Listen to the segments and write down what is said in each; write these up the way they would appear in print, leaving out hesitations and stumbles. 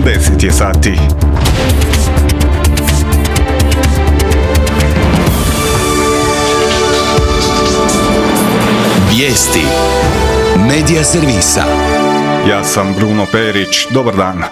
10 je sati. Vijesti Medija servisa. Ja sam Bruno Perić, dobar dan.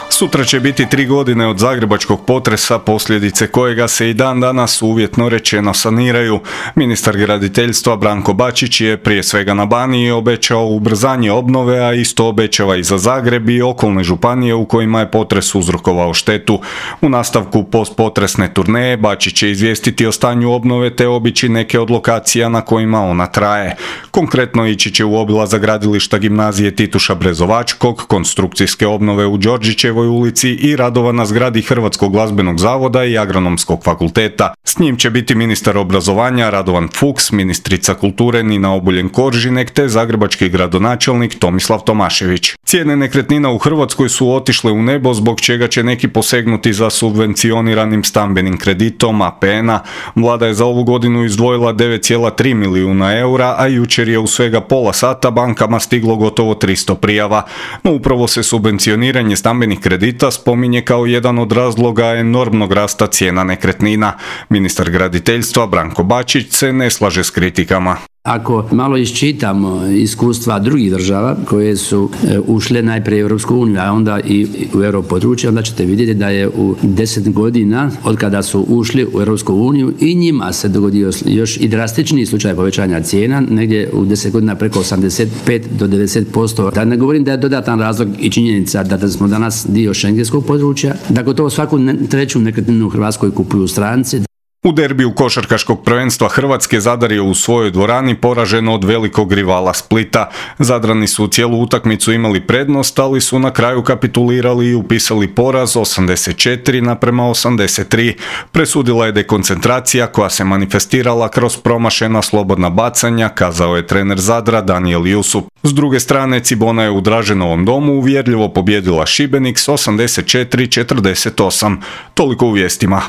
Sutra će biti 3 godine od zagrebačkog potresa, posljedice kojega se i dan danas uvjetno rečeno saniraju. Ministar graditeljstva Branko Bačić je prije svega na Baniji obećao ubrzanje obnove, a isto obećava i za Zagreb i okolne županije u kojima je potres uzrokovao štetu. U nastavku postpotresne turneje Bačić će izvijestiti o stanju obnove te obići neke od lokacija na kojima ona traje. Konkretno ići će u obilazak gradilišta gimnazije Tituša Brezovačkog, konstrukcijske obnove u Đorđićevoj ulici i radova na zgradi Hrvatskog glazbenog zavoda i Agronomskog fakulteta. S njim će biti ministar obrazovanja Radovan Fuchs, ministrica kulture Nina Obuljen-Koržinek te zagrebački gradonačelnik Tomislav Tomašević. Cijene nekretnina u Hrvatskoj su otišle u nebo, zbog čega će neki posegnuti za subvencioniranim stambenim kreditom APN-a. Vlada je za ovu godinu izdvojila 9,3 milijuna eura, a jučer je u svega pola sata bankama stiglo gotovo 300 prijava. No upravo se subvencioniranje stambenih kredita spominje kao jedan od razloga enormnog rasta cijena nekretnina. Ministar graditeljstva Branko Bačić se ne slaže s kritikama. Ako malo iščitamo iskustva drugih država koje su ušle najprije u Europsku uniju, a onda i u europodručje, onda ćete vidjeti da je u 10 godina od kada su ušli u Europsku uniju i njima se dogodio još i drastičniji slučaj povećanja cijena, negdje u 10 godina preko 85 do 90%. Da ne govorim da je dodatan razlog i činjenica da smo danas dio šengenskog područja, da gotovo svaku treću nekretninu u Hrvatskoj kupuju stranci. U derbiju košarkaškog prvenstva Hrvatske Zadar je u svojoj dvorani poražen od velikog rivala Splita. Zadrani su cijelu utakmicu imali prednost, ali su na kraju kapitulirali i upisali poraz 84:83. Presudila je dekoncentracija koja se manifestirala kroz promašena slobodna bacanja, kazao je trener Zadra Danijel Jusup. S druge strane, Cibona je u Draženovom domu uvjerljivo pobijedila Šibenik s 84:48. Toliko u vijestima.